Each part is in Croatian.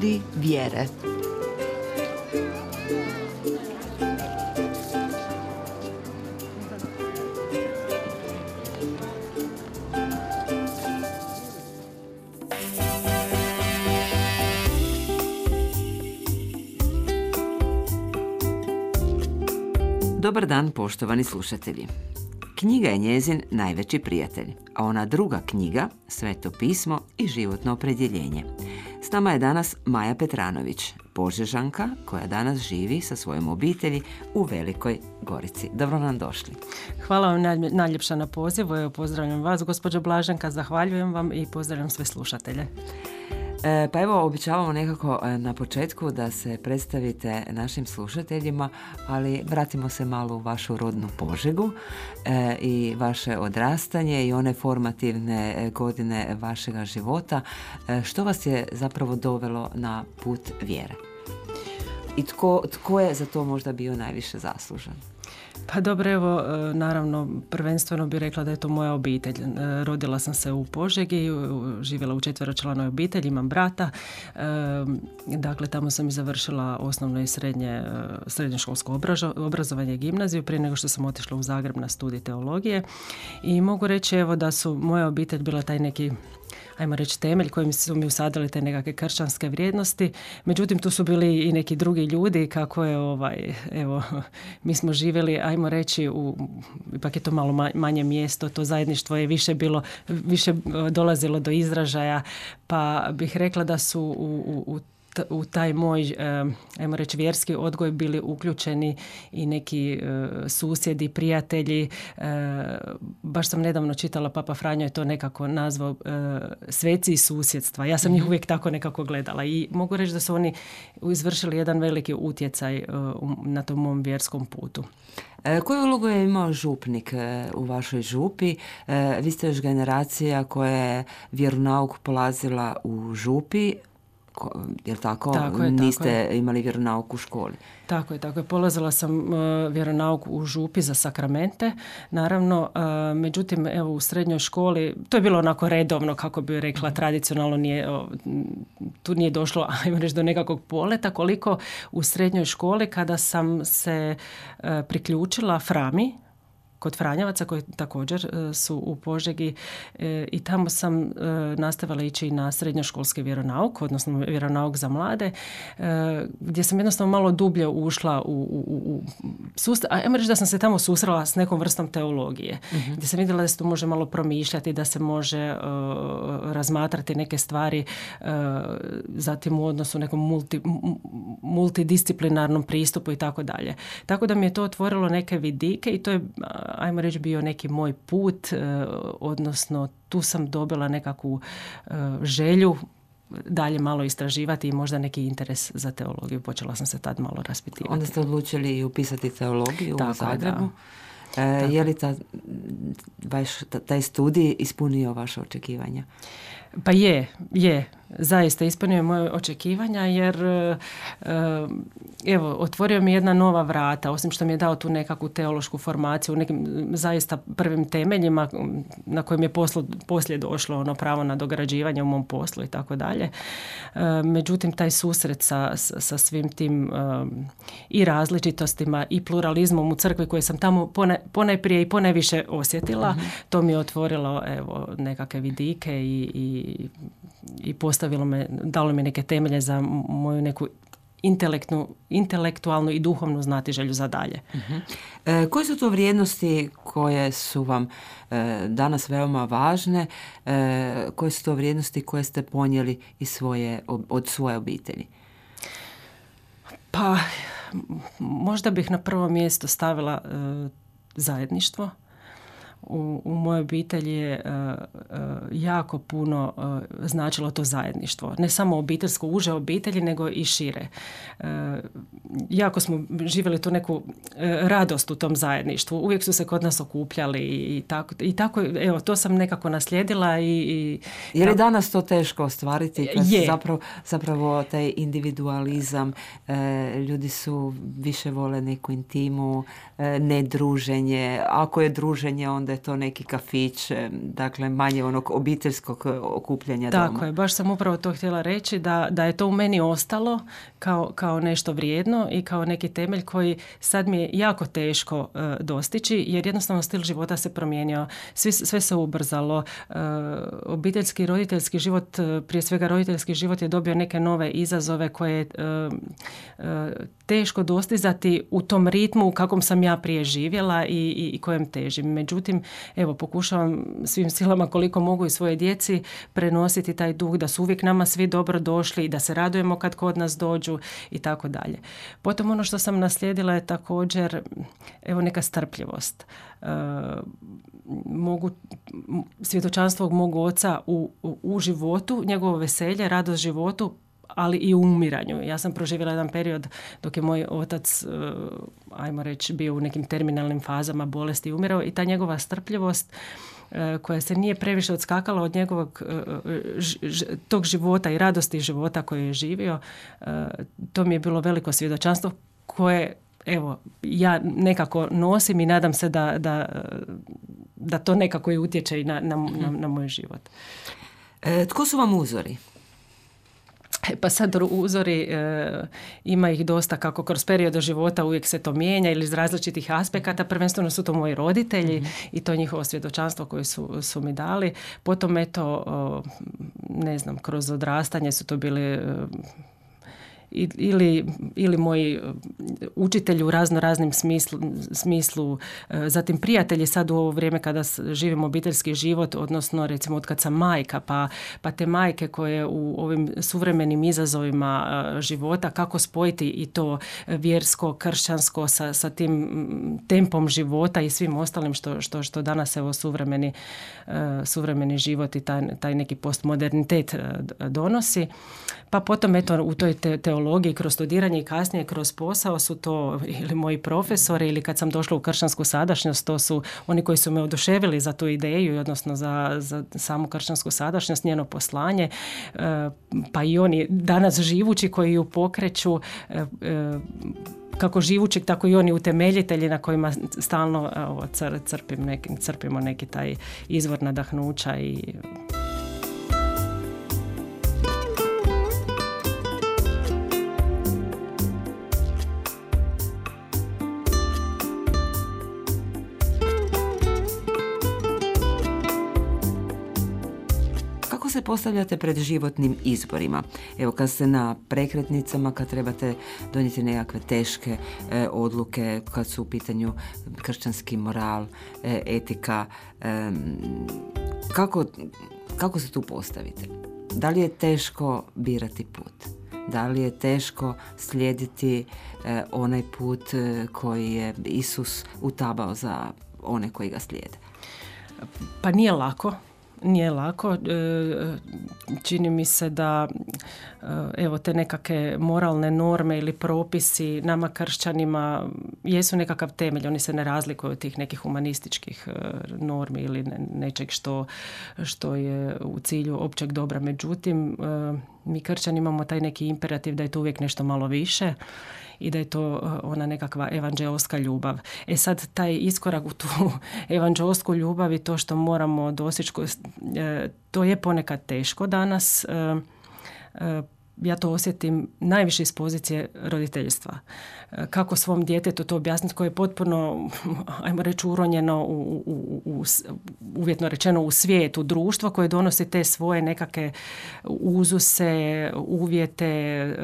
Ljudi vjere. Dobar dan, poštovani slušatelji. Knjiga je njezin najveći prijatelj, a ona druga knjiga, Sveto pismo i životno opredjeljenje. S nama je danas Maja Petranović, Požežanka koja danas živi sa svojom obitelji u Velikoj Gorici. Dobro nam došli. Hvala vam najljepša na pozivu. Evo, pozdravljam vas, gospođo Blaženka, zahvaljujem vam i pozdravljam sve slušatelje. Pa evo, običavamo nekako na početku da se predstavite našim slušateljima, ali vratimo se malo u vašu rodnu Požegu i vaše odrastanje i one formativne godine vašega života. Što vas je zapravo dovelo na put vjere? I tko je za to možda bio najviše zaslužan? Pa dobro, evo, naravno, prvenstveno bih rekla da je to moja obitelj. Rodila sam se u Požegi, živjela u 4-članoj obitelji, imam brata. Dakle, tamo sam i završila osnovno i srednjoškolsko obrazovanje i gimnaziju prije nego što sam otišla u Zagreb na studij teologije. I mogu reći, evo, da su moja obitelj bila taj neki, ajmo reći, temelj kojim su mi usadili te nekakve kršćanske vrijednosti. Međutim, tu su bili i neki drugi ljudi, kako je, evo, mi smo živjeli, ajmo reći, ipak je to malo manje mjesto, to zajedništvo je više dolazilo do izražaja, pa bih rekla da su u taj moj, ajmo reći, vjerski odgoj bili uključeni i neki susjedi, prijatelji. Baš sam nedavno čitala, Papa Franjo je to nekako nazvao sveci iz susjedstva. Ja sam njih uvijek tako nekako gledala i mogu reći da su oni izvršili jedan veliki utjecaj na tom mom vjerskom putu. Koju ulogu je imao župnik u vašoj župi? Vi ste još generacija koja je vjeronauk polazila u župi, jer tako? Niste imali vjeronauk u školi? Tako je. Polazila sam vjeronauk u župi za sakramente, naravno. Međutim, evo, u srednjoj školi, to je bilo onako redovno, kako bi rekla, tradicionalno tu nije došlo, ajmo reći, do nekakvog poleta, koliko u srednjoj školi kada sam se priključila Frami, kod Franjevaca koji također su u Požegi, i tamo sam nastavila ići na srednjoškolski vjeronauk, odnosno vjeronauk za mlade, gdje sam jednostavno malo dublje ušla u sustav. Ajmo reći da sam se tamo susrela s nekom vrstom teologije, gdje sam vidjela da se tu može malo promišljati, da se može razmatrati neke stvari, zatim u odnosu nekom multidisciplinarnom pristupu i tako dalje. Tako da mi je to otvorilo neke vidike i to je, ajmo reći, bio neki moj put, odnosno tu sam dobila nekakvu želju dalje malo istraživati i možda neki interes za teologiju. Počela sam se tad malo raspitivati. Onda ste odlučili upisati teologiju u Zagrebu. Je li taj studij ispunio vaše očekivanja? Pa je. Zaista ispunio moje očekivanja jer evo, otvorio mi jedna nova vrata, osim što mi je dao tu nekakvu teološku formaciju u nekim zaista prvim temeljima na kojim je poslije došlo pravo na dograđivanje u mom poslu i tako dalje. Međutim, taj susret sa svim tim i različitostima i pluralizmom u crkvi koje sam tamo ponajprije i ponajviše osjetila, to mi je otvorilo, evo, nekakve vidike i dalo mi neke temelje za moju neku intelektualnu i duhovnu znatiželju za dalje. Koje su to vrijednosti koje su vam danas veoma važne? Koje su to vrijednosti koje ste ponijeli od svoje obitelji? Pa, možda bih na prvo mjesto stavila zajedništvo. U mojoj obitelji je jako puno značilo to zajedništvo. Ne samo obiteljsko, uže obitelji, nego i šire. Jako smo živjeli tu neku radost u tom zajedništvu. Uvijek su se kod nas okupljali i tako, evo, to sam nekako naslijedila. Je li danas to teško ostvariti? Zapravo taj individualizam, ljudi su više vole neku intimu, ne druženje. Ako je druženje, onda da je to neki kafić, dakle manje onog obiteljskog okupljanja doma. Tako je, baš sam upravo to htjela reći, da je to u meni ostalo kao nešto vrijedno i kao neki temelj koji sad mi je jako teško dostići, jer jednostavno stil života se promijenio, sve se ubrzalo, obiteljski i roditeljski život, prije svega roditeljski život je dobio neke nove izazove koje je teško dostizati u tom ritmu u kakvom sam ja prije živjela i kojem težim. Međutim, evo, pokušavam svim silama koliko mogu i svoje djeci prenositi taj duh da su uvijek nama svi dobro došli i da se radujemo kad kod nas dođu i tako dalje. Potom ono što sam naslijedila je također neka strpljivost. Svjedočanstvo mog oca u životu, njegovo veselje, radost životu, ali i u umiranju. Ja sam proživjela jedan period dok je moj otac, ajmo reći, bio u nekim terminalnim fazama bolesti i umirao, i ta njegova strpljivost koja se nije previše odskakala od njegovog tog života i radosti života koji je živio, to mi je bilo veliko svjedočanstvo koje ja nekako nosim i nadam se da to nekako i utječe i na moj život. Tko su vam uzori? Pa sad uzori, ima ih dosta, kako kroz periode života uvijek se to mijenja ili iz različitih aspekata. Prvenstveno su to moji roditelji i to njihovo svjedočanstvo koje su mi dali. Potom kroz odrastanje su to bili ili moji učitelji u raznim smislu, zatim prijatelji sad u ovo vrijeme kada živimo obiteljski život, odnosno recimo od kad sam majka, pa te majke koje u ovim suvremenim izazovima života, kako spojiti i to vjersko, kršćansko sa tim tempom života i svim ostalim što danas suvremeni život i taj neki postmodernitet donosi. Pa potom u toj teologiji, kroz studiranje i kasnije kroz posao su to ili moji profesori, ili kad sam došla u kršćansku sadašnjost, to su oni koji su me oduševili za tu ideju, odnosno za samu kršćansku sadašnjost, njeno poslanje, pa i oni danas živući koji ju pokreću, kako živući, tako i oni utemeljitelji na kojima stalno crpimo neki taj izvor nadahnuća i... se postavljate pred životnim izborima? Evo, kad ste na prekretnicama, kad trebate donijeti nekakve teške odluke, kad su u pitanju kršćanski moral, etika, kako se tu postavite? Da li je teško birati put? Da li je teško slijediti onaj put koji je Isus utabao za one koji ga slijede? Pa nije lako. Nije lako. Čini mi se da te nekakve moralne norme ili propisi nama kršćanima jesu nekakav temelj. Oni se ne razlikuju od tih nekih humanističkih normi ili nečeg što je u cilju općeg dobra. Međutim, mi kršćani imamo taj neki imperativ da je to uvijek nešto malo više i da je to ona nekakva evanđeoska ljubav. Sad taj iskorak u tu evanđeosku ljubav i to što moramo doseći, to je ponekad teško danas. Ja to osjetim najviše iz pozicije roditeljstva. Kako svom djetetu to objasniti, koje je potpuno, ajmo reći, uronjeno uvjetno rečeno u svijet, u društvo koje donosi te svoje nekakve uzuse, uvjete,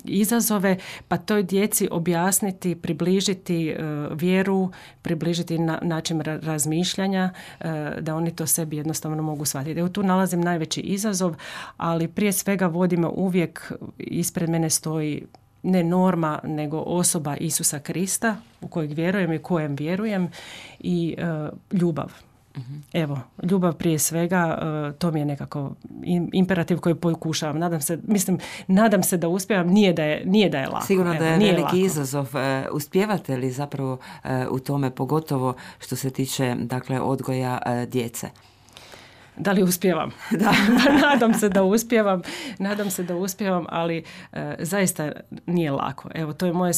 izazove, pa toj djeci objasniti, približiti vjeru, približiti način razmišljanja, da oni to sebi jednostavno mogu shvatiti. Evo tu nalazim najveći izazov, ali prije svega vodimo uvijek, ispred mene stoji ne norma, nego osoba Isusa Krista u kojeg vjerujem i kojem vjerujem i ljubav. Evo, ljubav prije svega, to mi je nekako imperativ koji pokušavam. Nadam se da uspijevam, nije da je lako. Sigurno da je veliki izazov. Uspijevate li zapravo u tome, pogotovo što se tiče odgoja djece? Da li uspijevam? Da. Nadam se da uspijevam, ali zaista nije lako. Evo, to je moja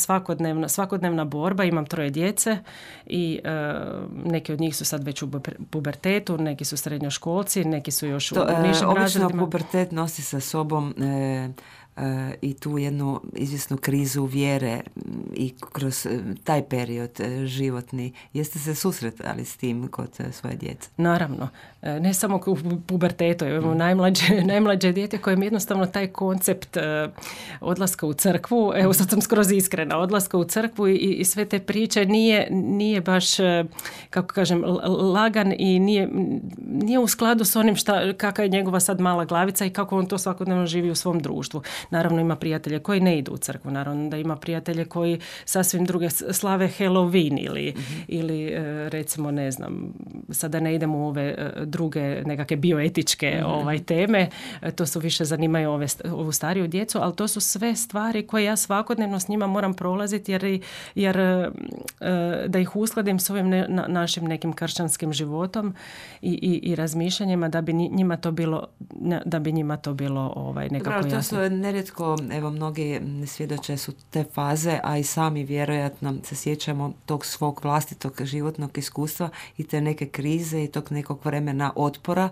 svakodnevna borba. Imam 3 djece i neki od njih su sad već u pubertetu, neki su srednjoškolci, neki su još u nižim razredima. Obično pubertet nosi sa sobom i tu jednu izvjesnu krizu vjere i kroz taj period životni. Jeste se susretali s tim kod svoje djece? Naravno. Ne samo u pubertetu. Imamo najmlađe dijete kojem jednostavno taj koncept odlaska u crkvu, evo sad sam skroz iskrena, odlaska u crkvu i sve te priče nije baš, kako kažem, lagan i nije u skladu s onim kakva je njegova sad mala glavica i kako on to svakodnevno živi u svom društvu. Naravno ima prijatelje koji ne idu u crkvu, naravno da ima prijatelje koji sasvim druge slave Halloween ili recimo ne znam, sada ne idemo u ove druge nekakve bioetičke teme, to su više zanimaju ovu stariju djecu, ali to su sve stvari koje ja svakodnevno s njima moram prolaziti jer da ih uskladim s ovim našim nekim kršćanskim životom i razmišljanjima da bi njima to bilo nekako jasno. To su nerijetko, evo mnogi svjedoče su te faze, a i sami vjerojatno se sjećamo tog svog vlastitog životnog iskustva i te neke krize i tog nekog vremena otpora,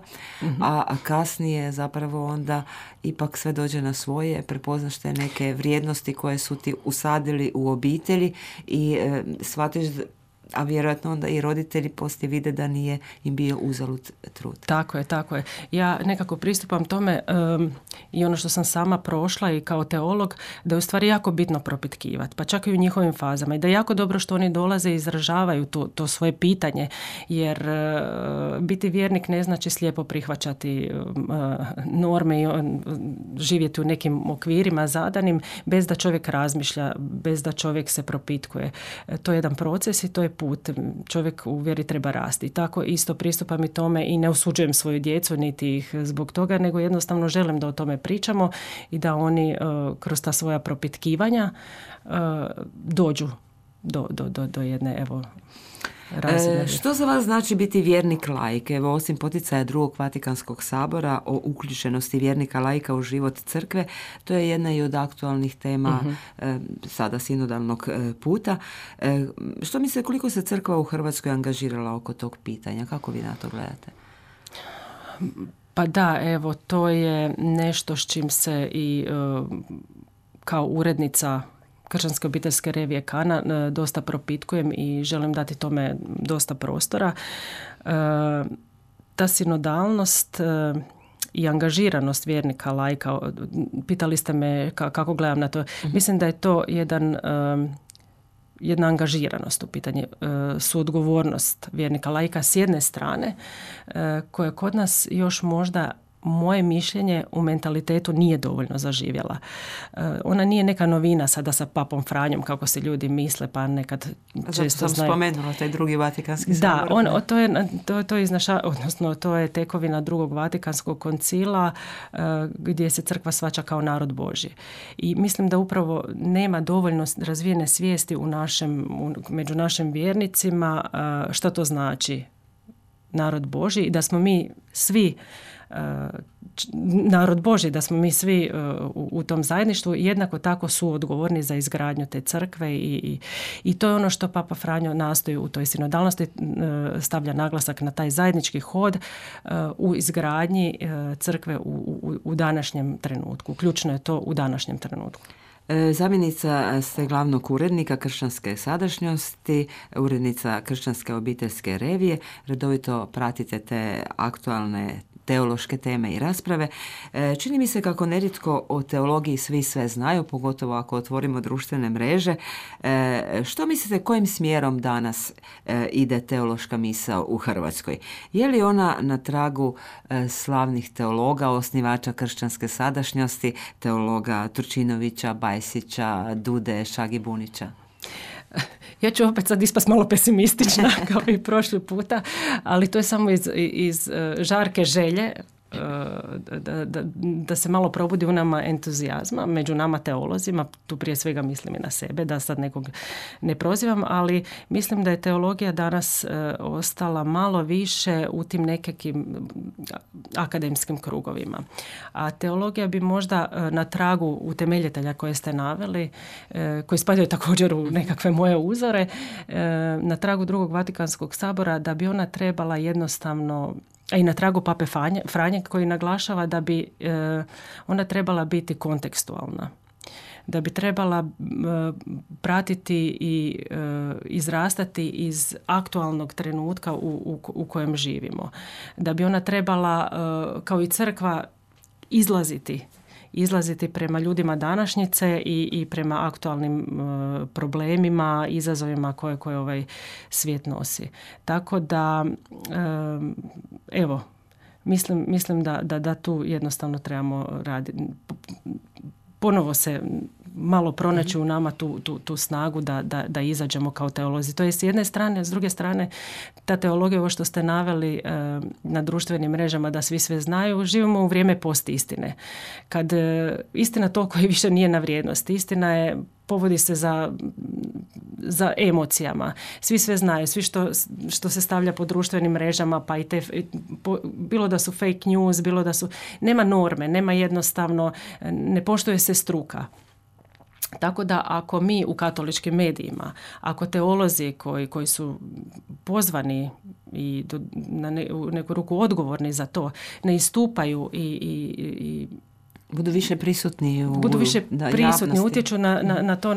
a kasnije zapravo onda ipak sve dođe na svoje, prepoznaš te neke vrijednosti koje su ti usadili u obitelji i shvatiš, a vjerojatno onda i roditelji poslije vide da nije im bio uzalud trud. Tako je. Ja nekako pristupam tome i ono što sam sama prošla i kao teolog, da je u stvari jako bitno propitkivati, pa čak i u njihovim fazama i da je jako dobro što oni dolaze i izražavaju to svoje pitanje, jer biti vjernik ne znači slijepo prihvaćati norme i živjeti u nekim okvirima zadanim bez da čovjek razmišlja, bez da čovjek se propitkuje. To je jedan proces i to je put. Čovjek u vjeri treba rasti. I tako isto pristupam i tome i ne osuđujem svoju djecu niti ih zbog toga, nego jednostavno želim da o tome pričamo i da oni kroz ta svoja propitkivanja dođu do jedne razine. Što za vas znači biti vjernik laik? Evo, osim poticaja Drugog Vatikanskog sabora o uključenosti vjernika laika u život crkve, to je jedna i od aktualnih tema sada sinodalnog puta. Što mislite, koliko se crkva u Hrvatskoj angažirala oko tog pitanja? Kako vi na to gledate? Pa da, evo, to je nešto s čim se i kao urednica Kršćanske obiteljske revije Kana dosta propitkujem i želim dati tome dosta prostora. Ta sinodalnost i angažiranost vjernika laika, pitali ste me kako gledam na to. Mislim da je to jedna angažiranost u pitanju, suodgovornost vjernika laika s jedne strane, koja kod nas još možda, moje mišljenje, u mentalitetu nije dovoljno zaživjela. Ona nije neka novina sada sa papom Franjom, kako se ljudi misle, pa nekad često sam spomenula taj Drugi Vatikanski sabor. Da, to je tekovina Drugog Vatikanskog koncila gdje se crkva shvaća kao narod Božji. I mislim da upravo nema dovoljno razvijene svijesti među našim vjernicima što to znači narod Božji i da smo mi svi narod Božji, da smo mi svi u tom zajedništvu jednako tako su odgovorni za izgradnju te crkve i to je ono što Papa Franjo nastoji u toj sinodalnosti, stavlja naglasak na taj zajednički hod u izgradnji crkve u današnjem trenutku. Ključno je to u današnjem trenutku. Zamjenica ste glavnog urednika Kršćanske sadašnjosti, urednica Kršćanske obiteljske revije, redovito pratite te aktualne teološke teme i rasprave. Čini mi se kako nerijetko o teologiji svi sve znaju, pogotovo ako otvorimo društvene mreže. Što mislite, kojim smjerom danas ide teološka misao u Hrvatskoj? Je li ona na tragu slavnih teologa, osnivača Kršćanske sadašnjosti, teologa Turčinovića, Bajsića, Dude, Šagibunića? Ja ću opet sad ispast malo pesimistična kao i prošli puta, ali to je samo iz žarke želje da se malo probudi u nama entuzijazma, među nama teolozima, tu prije svega mislim i na sebe, da sad nekog ne prozivam, ali mislim da je teologija danas ostala malo više u tim nekakvim akademskim krugovima. A teologija bi možda na tragu utemeljitelja koje ste naveli, koji spadaju također u nekakve moje uzore, na tragu Drugog Vatikanskog sabora, da bi ona trebala jednostavno, a i na tragu Pape Franje koji naglašava da bi ona trebala biti kontekstualna, da bi trebala pratiti i izrastati iz aktualnog trenutka u kojem živimo, da bi ona trebala kao i crkva izlaziti prema ljudima današnjice i prema aktualnim problemima, izazovima koje ovaj svijet nosi. Tako da, evo, mislim da tu jednostavno trebamo raditi. Ponovo se malo pronaći u nama tu snagu da izađemo kao teolozi. To je s jedne strane, s druge strane ta teologija, ovo što ste naveli na društvenim mrežama da svi sve znaju, živimo u vrijeme postistine. Kad istina toliko više nije na vrijednosti. Istina je, povodi se za emocijama. Svi sve znaju, svi što se stavlja po društvenim mrežama, pa i bilo da su fake news, bilo da su, nema norme, nema jednostavno, ne poštuje se struka. Tako da ako mi u katoličkim medijima, ako teolozi koji su pozvani i u neku ruku odgovorni za to, ne istupaju i budu više prisutni javnosti. Utječu na to,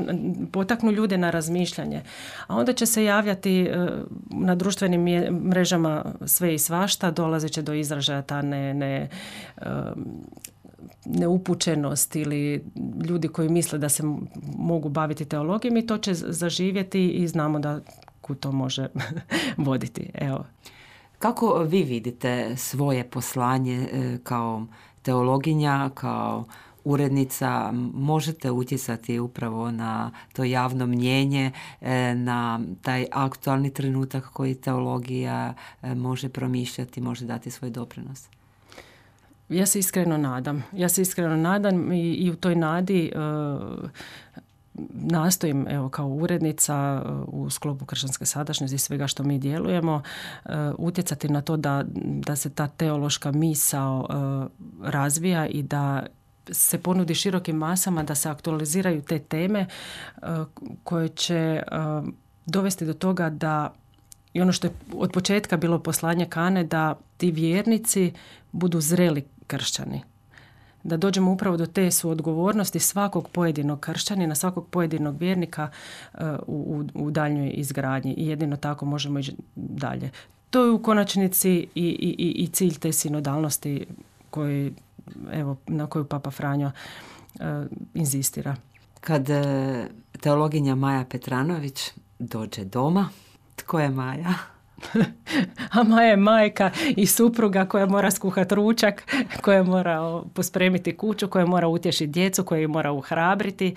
potaknu ljude na razmišljanje. A onda će se javljati na društvenim mrežama sve i svašta, dolazit će do izražaja ta neupućenost ili ljudi koji misle da se mogu baviti teologijom i to će zaživjeti i znamo da kud to može voditi. Evo. Kako vi vidite svoje poslanje kao teologinja, kao urednica? Možete utjecati upravo na to javno mnijenje, na taj aktualni trenutak koji teologija može promišljati, može dati svoj doprinos? Ja se iskreno nadam i u toj nadi nastojim, evo, kao urednica u sklopu kršćanske sadašnjosti i svega što mi djelujemo, utjecati na to da se ta teološka misao razvija i da se ponudi širokim masama, da se aktualiziraju te teme koje će dovesti do toga da i ono što je od početka bilo poslanje Kane, da ti vjernici budu zreli kršćani. Da dođemo upravo do te suodgovornosti svakog pojedinog kršćanina, svakog pojedinog vjernika u daljnjoj izgradnji i jedino tako možemo ići dalje. To je u konačnici i cilj te sinodalnosti na koju Papa Franjo inzistira. Kad teologinja Maja Petranović dođe doma, tko je Maja? A Maja je majka i supruga koja mora skuhati ručak, koja mora pospremiti kuću, koja mora utješiti djecu, koja mora uhrabriti,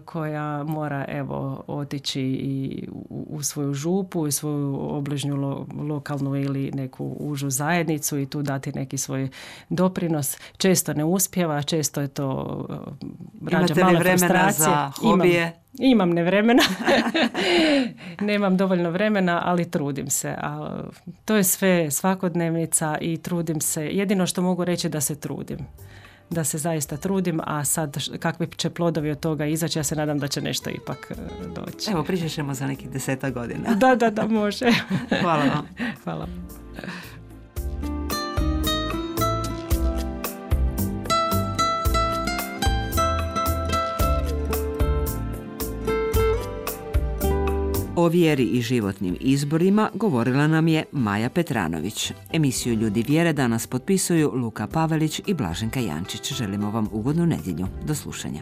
koja mora otići i u svoju župu, u svoju obližnju lokalnu ili neku užu zajednicu i tu dati neki svoj doprinos. Često ne uspijeva, često je to rađa male frustracije. Za hobije? Imam nevremena. Nemam dovoljno vremena, ali trudim se. To je sve svakodnevnica i trudim se. Jedino što mogu reći da se trudim. Da se zaista trudim, a sad kakvi će plodovi od toga izaći, ja se nadam da će nešto ipak doći. Evo, pričat ćemo za nekih 10 godina. Da, može. Hvala vam. Hvala. O vjeri i životnim izborima govorila nam je Maja Petranović. Emisiju Ljudi vjere danas potpisuju Luka Pavelić i Blaženka Jančić. Želimo vam ugodnu nedjelju. Do slušanja.